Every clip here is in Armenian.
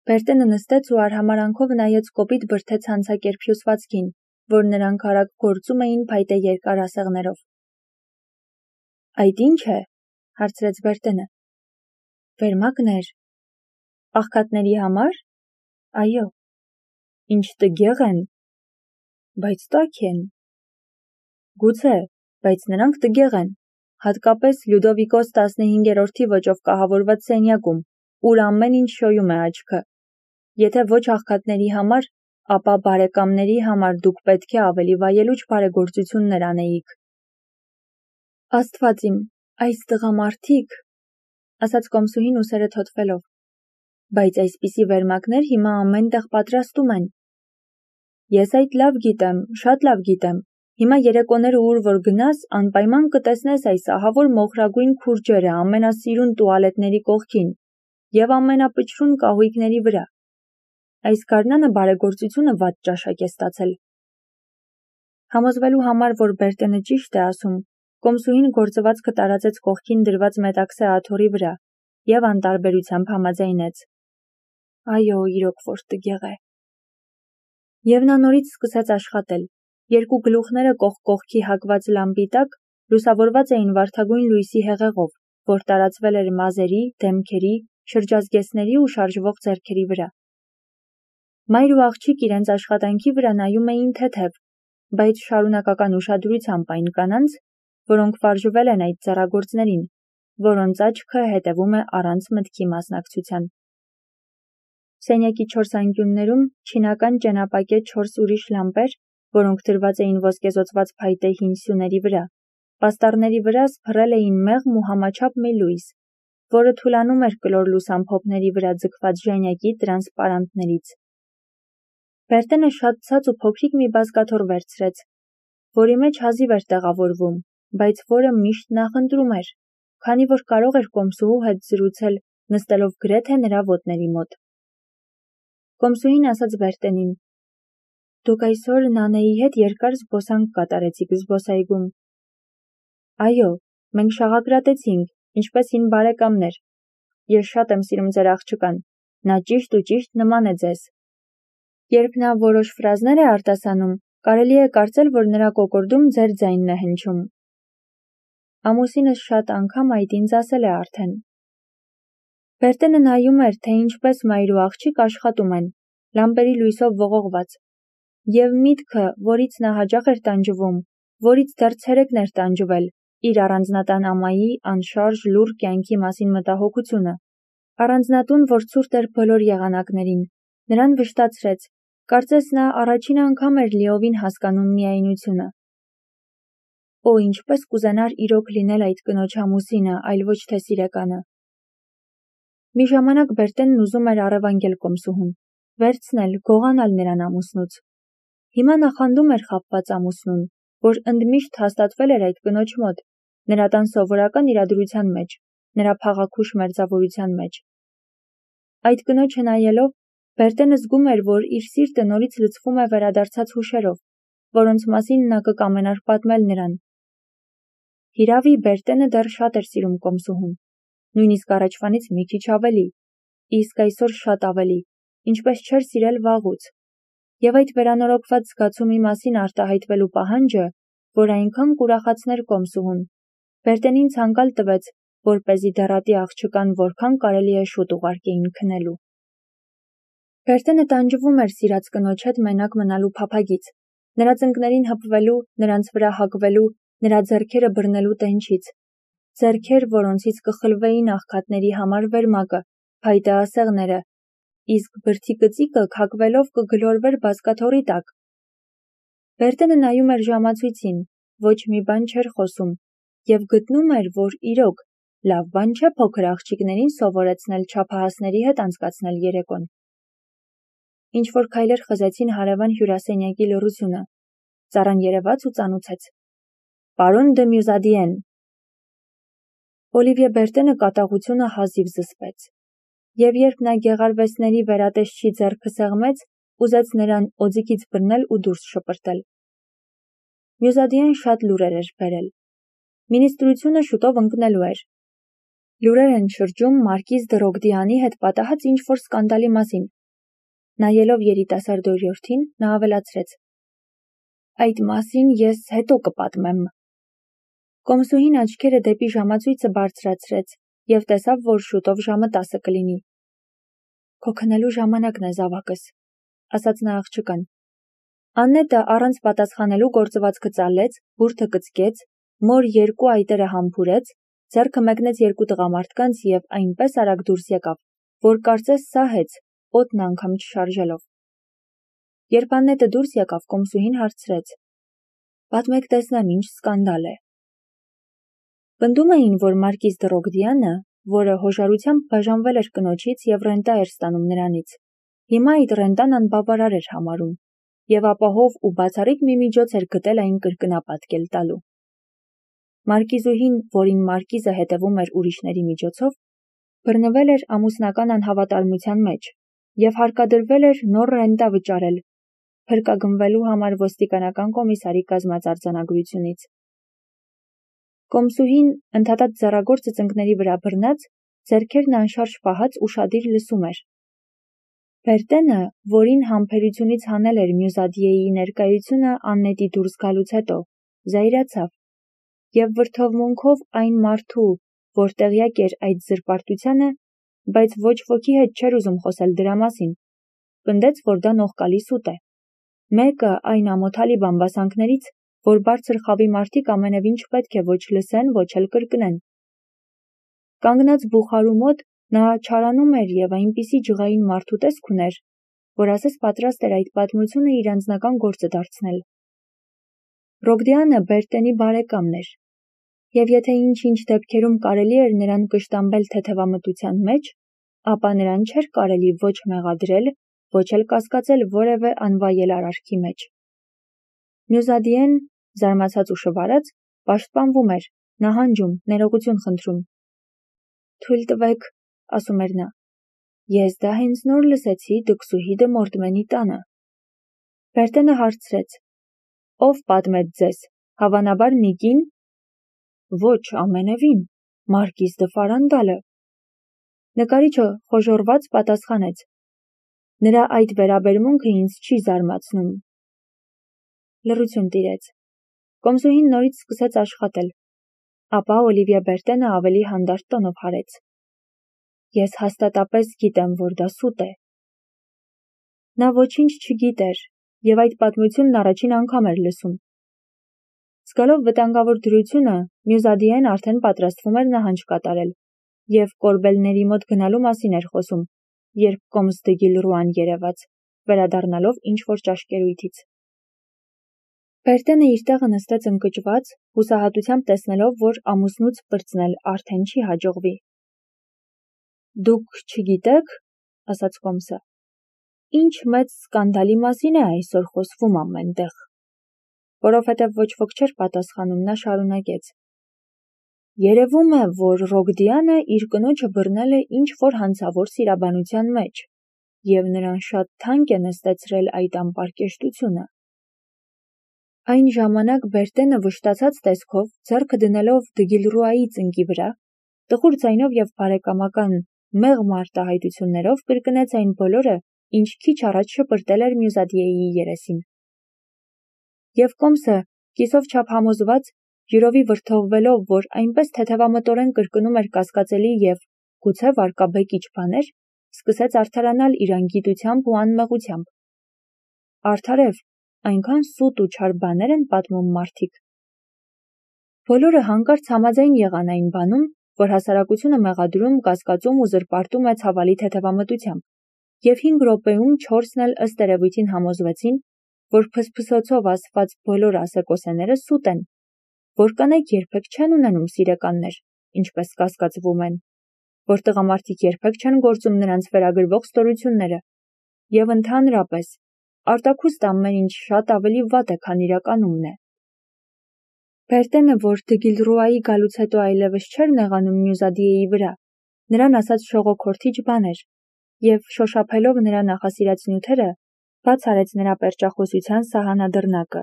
Բերտենը նստեց ու արհամարանքով նայեց կոպիտ բրդե ցանցակերպ հյուսվածքին, որ նրանք արագ գործում էին փայտե երկար ասեղներով։ Այդ ի՞նչ է, հարցրեց Բերտենը։ Վերմակներ։ Աղքատների համար։ Այո։ Ինչ տգեղ են։ Բայց տաք են։ Գուցե, բայց նրանք տգեղ են, հատկապես Լյուդովիկոս 15-րդի ոճով կահավորված սենյակում, ուր ամեն ինչ շոյում է աչքը։ Եթե ոչ աղքատների համար, ապա բարեկամների համար դուք պետք է ավելի վայելուչ բարեգործություններ անեիք։ Աստված իմ, այս տղամարդիկ, ասաց կոմսուհին ուսերը թոթվելով, բայց այսպիսի վերմակներ հիմա ամեն տեղ պատրաստում են։ Ես այդ լավ գիտեմ, շատ լավ գիտեմ, հիմա երեկոները ուր որ գնաս, անպայման կտեսնես այս ահավոր մոխրագույն քուրջերը ամենասիրուն տուալետների կողքին և ամենապչրուն կահույքների վրա։ Այս գարնանը բարեգործությունը վատ ճաշակ է ստացել։ Համոզվելու համար, որ Բերտենը ճիշտ է ասում, կոմսուհին գործվածքը տարածեց կողքին դրված մետաքսե աթոռի վրա և անտարբերությամբ համաձայնեց։ Այո, իրոք որ տգեղ է։ Եվ նա նորից սկսեց աշխատել։ Երկու գլուխները կողք կողքի հակված լամպի տակ լուսավորված էին վարդագույն լույսի հեղեղով, որ տարածվել էր մազերի, դեմքերի, շրջազգեստների ու շարժվող ձեռքերի վրա։ Մայր ու աղջիկ իրենց աշխատանքի վրա նայում էին թեթև, բայց շարունակական ուշադրությամբ այն կանանց, որոնք վարժվել են այդ ձեռագործներին, որոնց աչքը հետևում է առանց մտքի մասնակցության։ Սենյակի 4 անկյուններում չինական ճենապակե 4 ուրիշ լամպեր, որոնք դրված էին ոսկեզօծված փայտե հին սյուների վրա, պաստառների վրա սփռել էին մեղմ ու համաչափ մի լույս, որը թուլանում էր կլոր լուսամփոփների վրա ձգված ժանյակի տրանսպարանտներից։ Բերտենը շատ ցած ու փոքրիկ մի բազկաթոռ վերցրեց, որի մեջ հազիվ էր տեղավորվում, բայց որը միշտ նախընտրում էր, քանի որ կարող էր կոմսուհու հետ զրուցել, նստելով գրեթե նրա ոտների մոտ։ Կոմսուհին ասաց Բերտենին. Դուք այսօր Նանեի հետ երկար զբոսանք կատարեցիք զբոսայգում։ Այո, մենք շաղակրատեցինք, ինչպես հին բարեկամներ։ Ես շատ եմ սիրում ձեր աղջկան, նա ճիշտ ու ճիշտ նման է ձեզ։ Երբ նա որոշ ֆրազներ է արտասանում, կարելի է կարծել, որ նրա կոկորդում ձեր ձայնն է հնչում։ Ամուսինս շատ անգամ այդ ինձ ասել է արդեն։ Բերտենը նայում էր, թե ինչպես մայր ու աղջիկ աշխատում են, լամպերի լույսով ողողված, և միտքը, որից նա հաճախ էր տանջվում, որից դեռ ցերեկն էր տանջվել, իր առանձնատան ամայի անշարժ լուռ կյանքի մասին մտահոգությունը, առանձնատուն, որ ցուրտ էր բոլոր եղանակներին, նրան վշտացրեց, կարծես նա առաջին անգամ էր լիովին հասկանում միայնությունը։ Օ, ինչպես կուզենար իրոք լինել այդ կնոջ ամուսինը, այլ ոչ թե սիրեկանը։ Մի ժամանակ Բերտենն ուզում էր առևանգել կոմսուհուն, վերցնել, գողանալ նրան ամուսնուց։ Հիմա նախանդում էր խաբված ամուսնուն, որ ընդմիշտ հաստատվել էր այդ կնոջ մոտ, նրա տան սովորական իրադրության մեջ, նրա փաղաքուշ մերձավորության մեջ։ Այդ կնոջը նայելով, Բերտենը զգում էր, որ իր սիրտը նորից լցվում է վերադարձած հուշերով, որոնց մասին նա կկամենար պատմել նրան։ Հիրավի, Բերտենը դեռ շատ էր սիրում կոմսուհուն, նույնիսկ առաջվանից մի քիչ ավելի, իսկ այսօր շատ ավելի, ինչպես չէր սիրել վաղուց։ Եվ այդ վերանորոգված զգացումի մասին արտահայտվելու պահանջը, որ այնքան կուրախացներ կոմսուհուն, Բերտենին ցանկալ տվեց, որպեսզի դեռատի աղջկան որքան կարելի է շուտ ուղարկեին քնելու։ Բերտենը տանջվում էր սիրած կնոջ հետ մենակ մնալու փափագից, նրա ծնկներին հպվելու, նրանց վրա հագվելու, նրա ձեռքերը բռնելու տենչից, ձեռքեր, որոնցից կխլվեին աղքատների համար վերմակը, փայտե ասեղները, իսկ բրդի կծիկը քակվելով կգլորվեր բազկաթոռի տակ։ Բերտենը նայում էր ժամացույցին, ոչ մի բան չէր խոսում, և գտնում էր, որ իրոք, լավ բան չէ փոքր աղջիկներին սովորեցնել չափահասների հետ անցկացնել երեկոն։ Ինչ-որ քայլեր խզեցին հարևան հյուրասենյակի լռությունը, ծառան երևաց ու ծանուցեց. Պարոն դը Մյուզադիեն։ Օլիվիե Բերտենը կատաղությունը հազիվ զսպեց, և երբ նա գեղարվեստների վերատեսչի ձեռքը սեղմեց, ուզեց նրան օձիքից բռնել ու դուրս շպրտել։ Մյուզադիեն շատ լուրեր էր բերել։ Մինիստրությունը շուտով ընկնելու էր։ Լուրեր են շրջում մարկիզ դը Ռոգդիանի հետ պատահած ինչ-որ սկանդալի մասին, Նայելով երիտասարդ օրիորդին, նա ավելացրեց. Այդ մասին ես հետո կպատմեմ։ Կոմսուհին աչքերը դեպի ժամացույցը բարձրացրեց և տեսավ, որ շուտով ժամը 10 կլինի։ Քո քնելու ժամանակն է, զավակս, ասաց նա աղջկան։ Աննետը առանց պատասխանելու գործվածքը ծալեց, բուրդը կծկեց, մոր 2 այտերը համբուրեց, ձեռքը մեկնեց 2 տղամարդկանց և այնպես արագ դուրս եկավ, որ կարծես սահեց, օդն անգամ չշարժելով։ Երբ Աննետը դուրս եկավ, Կոմսուհին հարցրեց. Պատմեք տեսնեմ, ինչ սկանդալ է։ Պնդում էին, որ Մարկիզ դը Ռոգդյանը, որը հոժարությամբ բաժանվել էր կնոջից և ռենտա էր ստանում նրանից, հիմա այդ ռենտան անբավարար էր համարում և ապահով ու բացառիկ մի միջոց էր գտել այն կրկնապատկել տալու։ Մարկիզուհին, որին Մարկիզը հետևում էր ուրիշների միջոցով, բռնվել էր ամուսնական անհավատարմության մեջ և հարկադրվել էր նոր ռենտա վճարել, փրկագնվելու համար ոստիկանական կոմիսարի կազմած արձանագրությունից։ Կոմսուհին, ընդհատած ձեռագործը ծնկների վրա բռնած, ձեռքերն անշարժ պահած ուշադիր լսում էր։ Բերտենը, որին համբերությունից հանել էր Մյուզադիեի ներկայությունը Աննետի դուրս գալուց հետո, զայրացավ և վրդովմունքով այն մարդու, որ տեղյակ էր այդ զրպարտությանը, բայց ոչ ոքի հետ չէր ուզում խոսել դրա մասին, պնդեց, որ դա նողկալի սուտ է։ Մեկը այն ամոթալի բամբասանքներից, որ բարձր խավի մարդիկ ամենևին չպետք է ոչ լսեն, ոչ էլ կրկնեն։ Կանգնած բուխարու մոտ նա չարանում էր և այնպիսի ջղային մարդու տեսք ուներ, որ ասես պատրաստ էր այդ պատմությունը իր անձնական գործը դարձնել։ Ռոգդյանը Բերտենի բարեկամն էր, և եթե ինչ-ինչ դեպքերում կարելի էր նրան կշտամբել թեթևամտության մեջ, ապա նրան չէր կարելի ոչ մեղադրել, ոչ էլ կասկածել որևէ անվայել արարքի մեջ։ Մյուզադիեն, զարմացած ու շվարած, պաշտպանվում էր, նահանջում, ներողություն խնդրում։ Թույլ տվեք, ասում էր նա, ես դա հենց նոր լսեցի Դքսուհի դը Մորտմենի տանը։ Բերտենը հարցրեց. Ով պատմեց ձեզ, հավանաբար մի կին։ Ոչ, ամենևին, Մարկիզ դը Ֆարանդալը։ Նկարիչը խոժոռված պատասխանեց. Նրա այդ վերաբերմունքը ինձ չի զարմացնում։ Լռություն տիրեց։ Կոմսուհին նորից սկսեց աշխատել։ Ապա Օլիվիա Բերտենը ավելի հանդարտ տոնով հարեց. Ես հաստատապես գիտեմ, որ դա սուտ է։ Նա ոչինչ չգիտեր և այդ պատմությունն առաջին անգամ էր լսում։ Զգալով վտանգավոր դրությունը, Մյուզադիեն արդեն պատրաստվում էր նահանջ կատարել և կորբելների մոտ գնալու մասին էր խոսում, երբ Կոմս դը Գիլռուան երևաց, վերադառնալով ինչ-որ ճաշկերույթից։ Բերտենը իր տեղը նստեց ընկճված, հուսահատությամբ տեսնելով, որ ամուսնուց պրծնել արդեն չի հաջողվի։ Դուք չգիտեք, ասաց Կոմսը, ինչ մեծ սկանդալի մասին է այսօր խոսվում ամենտեղ։ Որովհետև ոչ ոք չէր պատասխանում, նա շարունակեց. Երևում է, որ Ռոգդյանը իր կնոջը բռնել է ինչ-որ հանցավոր սիրաբանության մեջ, և նրան շատ թանկ է նստեցրել այդ անպարկեշտությունը։ Այն ժամանակ Բերտենը վշտացած տեսքով, ձեռքը դնելով դը Գիլռուայի ծնկի վրա, տխուր ձայնով և բարեկամական մեղմ արտահայտություններով կրկնեց այն բոլորը, ինչ քիչ առաջ շպրտել էր Մյուզադիեի երեսին։ Եվ Կոմսը, կիսով չափ համոզված, յուրովի վրդովվելով, որ այնպես թեթևամտորեն կրկնում էր կասկածելի և գուցե վարկաբեկիչ բաներ, սկսեց արդարանալ իր անգիտությամբ ու անմեղությամբ։ Արդարև, այնքան սուտ ու չար բաներ են պատմում մարդիկ։ Բոլորը հանկարծ համաձայն եղան այն բանում, որ հասարակությունը մեղադրում, կասկածում ու զրպարտում է ցավալի թեթևամտությամբ, և 5 րոպեում 4-ն էլ ըստ երևույթին համոզվեցին, որ փսփսոցով ասված բոլոր ասեկոսեները սուտ են, որ կանայք երբեք չեն ունենում սիրեկաններ, ինչպես կասկածվում են, որ տղամարդիկ երբեք չեն գործում նրանց վերագրվող ստորությունները, և ընդհանրապես, արտաքուստ ամեն ինչ շատ ավելի վատ է, քան իրականումն է։ Բերտենը, որ դը Գիլռուայի գալուց հետո այլևս չէր նեղանում Մյուզադիեի վրա, նրան ասաց շողոքորթիչ բաներ, և շոշափելով նրա նախասիրած նյութերը, բաց արեց նրա պերճախոսության սահանադրնակը։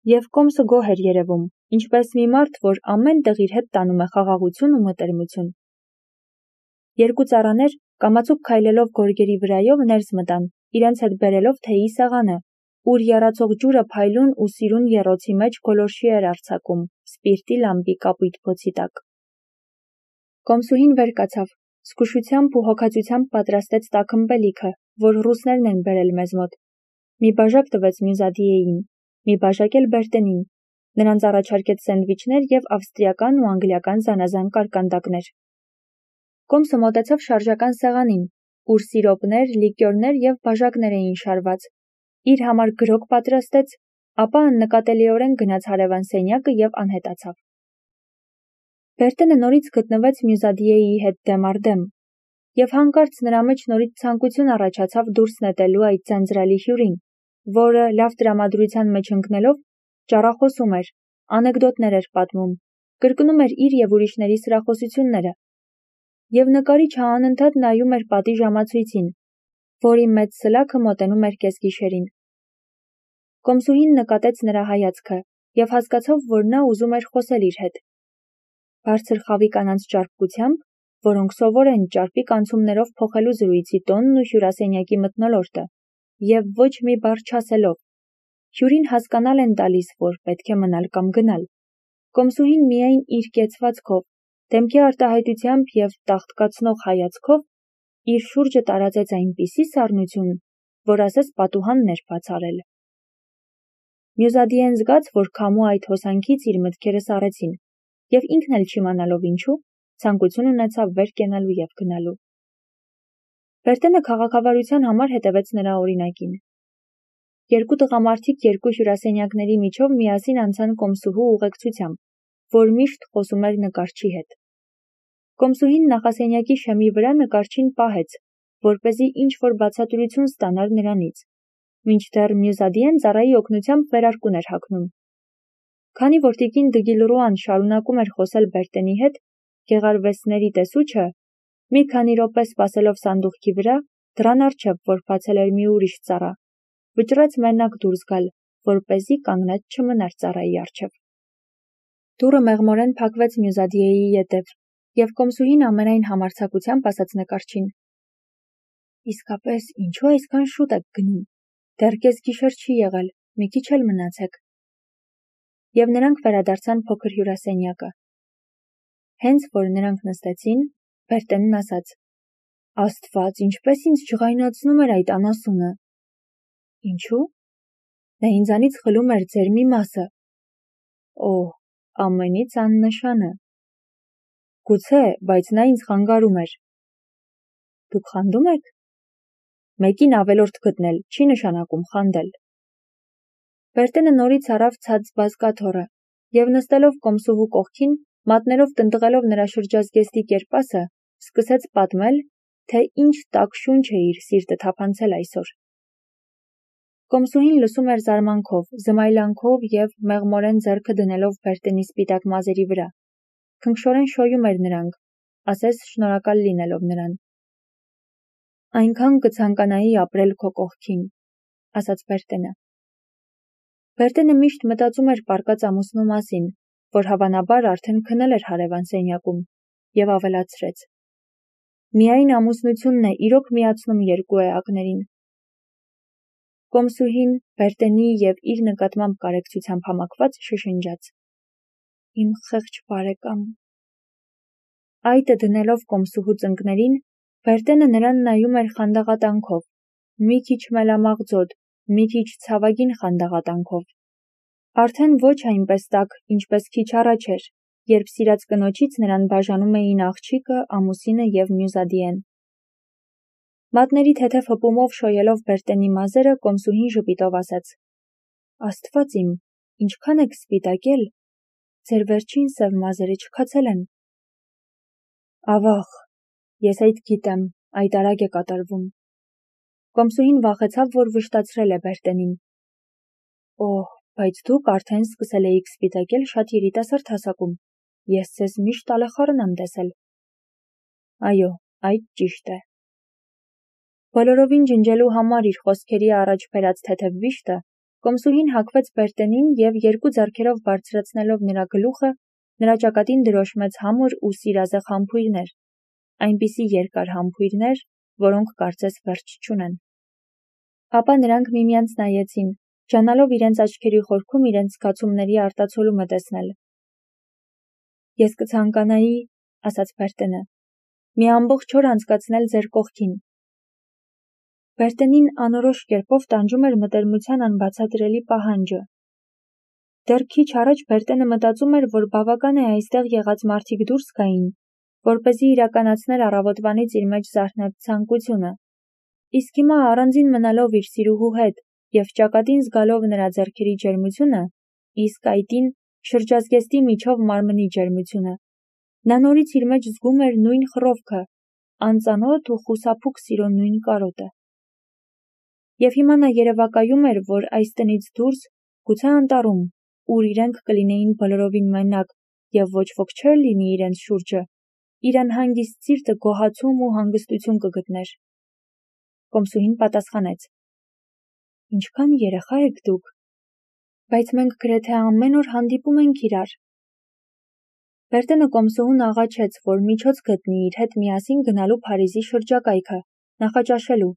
Եվ Կոմսը գոհ էր երևում, ինչպես մի մարդ, որ ամեն տեղ իր հետ տանում է խաղաղություն ու մտերմություն։ Երկու ծառաներ, կամացուկ քայլելով գորգերի վրայով ներս մտան իրենց հետ բերելով թեյի սեղանը, ուր եռացող ջուրը փայլուն ու սիրուն եռոցի մեջ գոլորշի էր արձակում, սպիրտի լամպի կապույտ բոցի տակ։ Կոմսուհին վեր կացավ, զգուշությամբ ու հոգածությամբ պատրաստեց տաք ըմպելիքը, որ ռուսներն են բերել մեզ մոտ։ Մի բաժակ տվեց Մյուզադիեին, մի բաժակ էլ Բերտենին, նրանց առաջարկեց սենդվիչներ և ավստրիական ու անգլիական զանազան կարկանդակներ։ Կոմսը մոտեցավ շարժական սեղանին, ուր սիրոպներ, լիկյորներ և բաժակներ էին շարված, իր համար գրոկ պատրաստեց, ապա աննկատելիորեն գնաց հարևան սենյակը և անհետացավ։ Բերտենը նորից գտնվեց Մյուզադիեի հետ դեմ առ դեմ, և հանկարծ նրա մեջ նորից ցանկություն առաջացավ դուրս նետելու այդ ձանձրալի հյուրին, որը, լավ տրամադրության մեջ ընկնելով, ճառախոսում էր, անեկդոտներ էր պատմում, կրկնում էր իր և ուրիշների սրախոսությունները, և նկարիչը անընդհատ նայում էր պատի ժամացույցին, որի մեծ սլաքը մոտենում էր կեսգիշերին։ Կոմսուհին նկատեց նրա հայացքը և հասկացավ, որ նա ուզում էր խոսել իր հետ։ Բարձր խավի կանանց ճարպկությամբ, որոնք սովոր են ճարպիկ անցումներով փոխելու զրույցի տոնն ու հյուրասենյակի մթնոլորտը, և ոչ մի բառ չասելով, հյուրին հասկանալ են տալիս, որ պետք է մնալ կամ գնալ։ Կոմսուհին միայն իր կեցվածքով, դեմքի արտահայտությամբ և տաղտկացնող հայացքով իր շուրջը տարածեց այնպիսի սառնություն, որ ասես պատուհանն էր բաց արել։ Մյուզադիեն զգաց, որ քամու այդ հոսանքից իր մտքերը սառեցին, և ինքն էլ չիմանալով ինչու, ցանկություն ունեցավ վեր կենալու և գնալու։ Բերտենը քաղաքավարության համար հետևեց նրա օրինակին։ Երկու տղամարդիկ երկու հյուրասենյակների միջով միասին անցան Կոմսուհու ուղեկցությամբ, որ միշտ խոսում էր նկարչի հետ։ Կոմսուհին նախասենյակի շեմի վրա նկարչին պահեց, որպեսզի ինչ-որ բացատրություն ստանար նրանից, մինչդեռ Մյուզադիեն ծառայի օգնությամբ վերարկուն էր հագնում։ Քանի որ տիկին Դգիլռուան շարունակում էր խոսել Բերտենի հետ, գեղարվեստների տեսուչը, մի քանի րոպե սպասելով սանդուղքի վրա, դռան առջև, որ բացել էր մի ուրիշ ծառա, վճռեց մենակ դուրս գալ, որպեսզի կանգնած չմնար ծառայի առջև։ Դուռը մեղմորեն փակվեց Մյուզադիեի ետև, և Կոմսուհին ամենայն համարձակությամբ ասաց նկարչին. «Իսկապես, ինչու այսքան շուտ եք գնում, դեռ կեսգիշեր չի եղել, մի քիչ էլ մնացեք»։ Եվ նրանք վերադարձան փոքր հյուրասենյակը։ Հենց որ նրանք նստեցին, Բերտենն ասաց. «Աստված, ինչպես ինձ ջղայնացնում էր այդ անասունը»։ Ինչու՞։ Նա ինձանից խլում էր ձեր մի մասը։ Օհ, ամենից աննշանը։ Գուցե, բայց նա ինձ խանգարում էր։ Դուք խանդում եք։ Մեկին ավելորդ գտնել չի նշանակում խանդել։ Բերտենը նորից առավ ցած բազկաթոռը, և նստելով Կոմսուհու կողքին, մատներով տնտղելով նրա շրջազգեստի կերպասը, սկսեց պատմել, թե ինչ տաք շունչ է իր սիրտը թափանցել այսօր։ Կոմսուհին լսում էր զարմանքով, զմայլանքով և մեղմորեն ձեռքը դնելով Բերտենի սպիտակ մազերի վրա, քնքշորեն շոյում էր նրանք, ասես շնորհակալ լինելով նրան։ Այնքան կցանկանայի ապրել քո կողքին, ասաց Բերտենը։ Բերտենը միշտ մտածում էր պառկած ամուսնու մասին, որ հավանաբար արդեն քնել էր հարևան սենյակում, և ավելացրեց. միայն ամուսնությունն է իրոք միացնում երկու էակներին։ Կոմսուհին Բերտենի և իր նկատմամբ կարեկցությամբ համակված շշնջաց. Իմ խեղճ բարեկամ։ Այտը դնելով Կոմսուհու ծնկներին, Բերտենը նրան նայում էր խանդաղատանքով, մի քիչ մելամաղձոտ, մի քիչ ցավագին խանդաղատանքով։ Արդեն ոչ այնպես տաք, ինչպես քիչ առաջ էր, երբ սիրած կնոջից նրան բաժանում էին աղջիկը, ամուսինը և Մյուզադիեն։ Մատների թեթև հպումով շոյելով Բերտենի մազերը, Կոմսուհին ժպիտով ասաց. Աստված իմ, ինչքան եք սպիտակել, ձեր վերջին սև մազերը չքացել են։ Ավաղ, ես այդ գիտեմ, այդ արագ է կատարվում։ Կոմսուհին վախեցավ, որ վշտացրել է Բերտենին։ Օհ, բայց դուք արդեն սկսել էիք սպիտակել շատ երիտասարդ հասակում, ես ձեզ միշտ ալեխառն եմ տեսել։ Այո, այդ ճիշտ է։ Բոլորովին ջնջելու համար իր խոսքերի առաջ բերած թեթև վիշտը, Կոմսուհին հագվեց Բերտենին և երկու ձեռքերով բարձրացնելով նրա գլուխը, նրա ճակատին դրոշմեց համր ու սիրազեղ համբույրներ, այնպիսի երկար համբույրներ, որոնք կարծես վերջ չունեն։ Ապա նրանք միմյանց նայեցին, ջանալով իրենց աչքերի խորքում իրենց զգացումների արտացոլումը տեսնել։ Ես կցանկանայի, ասաց Բերտենը, մի ամբողջ օր անցկացնել ձեր կողքին։ Բերտենին անորոշ կերպով տանջում էր մտերմության անբացատրելի պահանջը։ Դեռ քիչ առաջ Բերտենը մտածում էր, որ բավական է այստեղ եղած մարդիկ դուրս գային, որպեսզի իրականացներ առավոտվանից իր մեջ զարթնած ցանկությունը։ Իսկ հիմա առանձին մնալով իր սիրուհու հետ և ճակատին զգալով նրա ձեռքերի ջերմությունը, իսկ այտին շրջազգեստի միջով մարմնի ջերմությունը, նա նորից իր մեջ զգում էր նույն խռովքը, անծանոթ ու խուսափուկ սիրո նույն կարոտը։ Եվ հիմա նա երևակայում էր, որ այս տնից դուրս, գուցե անտառում, ուր իրենք կլինեին բոլորովին մենակ և ոչ ոք չէր լինի իրենց շուրջը, իր անհանգիստ սիրտը գոհացում ու հանգստություն կգտներ։ Կոմսուհին պատասխանեց. Ինչքան երեխա եք դուք, բայց մենք գրեթե ամեն օր հանդիպում ենք իրար։ Բերտենը Կոմսուհուն աղաչեց, որ միջոց գտնի իր հետ միասին գնալու Փարիզի շրջակայքը, նախաճաշելու,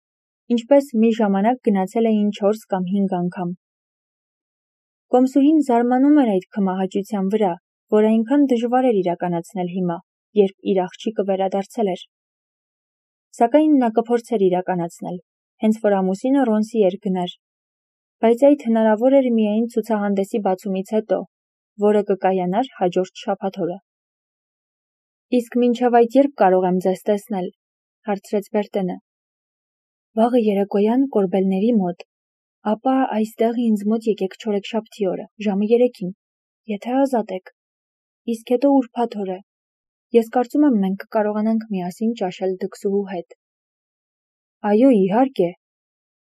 ինչպես մի ժամանակ գնացել էին 4 կամ 5 անգամ։ Կոմսուհին զարմանում էր այդ քմահաճության վրա, որ այնքան դժվար էր իրականացնել հիմա, երբ իր աղջիկը վերադարձել էր։ Սակայն նա կփորձեր իրականացնել, հենց որ ամուսինը Ռոնսի էր գնար, բայց այդ հնարավոր էր միայն ցուցահանդեսի բացումից հետո, որը կկայանար հաջորդ շաբաթ օրը։ Իսկ մինչև այդ երբ կարող եմ ձեզ տեսնել, հարցրեց Բերտենը։ Վաղը երեկոյան կորբելների մոտ, ապա այստեղ ինձ մոտ եկեք չորեքշաբթի օրը, ժամը 3-ին, եթե ազատ եք, իսկ հետո ուրբաթ օրը։ Ես կարծում եմ մենք կկարողանանք միասին ճաշել դքսուհու հետ։ Այո, իհարկե։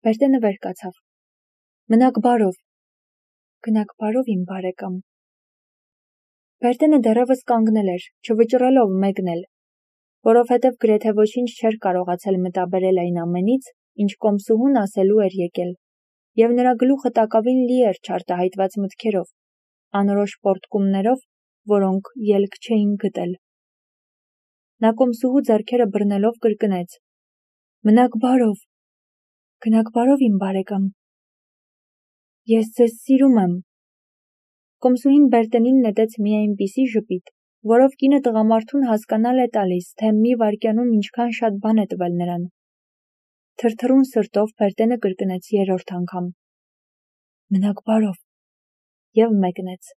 Բերտենը վեր կացավ։ Մնաք բարով։ Գնաք բարով, իմ բարեկամ։ Բերտենը դեռևս կանգնել էր, չվճռելով մեկնել, որովհետև գրեթե ոչինչ չէր կարողացել մտաբերել այն ամենից, ինչ Կոմսուհուն ասելու էր եկել, և նրա գլուխը տակավին լի էր չարտահայտված մտքերով, անորոշ պոռթկումներով, որոնք ելք չէին գտել։ Նա Կոմսուհու ձեռքերը բռնելով կրկնեց. Մնաք բարով։ Գնաք բարով, իմ բարեկամ։ Ես ձեզ սիրում եմ։ Կոմսուհին Բերտենին նետեց մի այնպիսի ժպիտ, որով կինը տղամարդուն հասկանալ է տալիս, թե մի վայրկյանում ինչքան շատ բան է տվել նրան։ Թրթռուն սրտով Բերտենը կրկնեց 3-րդ անգամ. Մնաք բարով, և մեկնեց։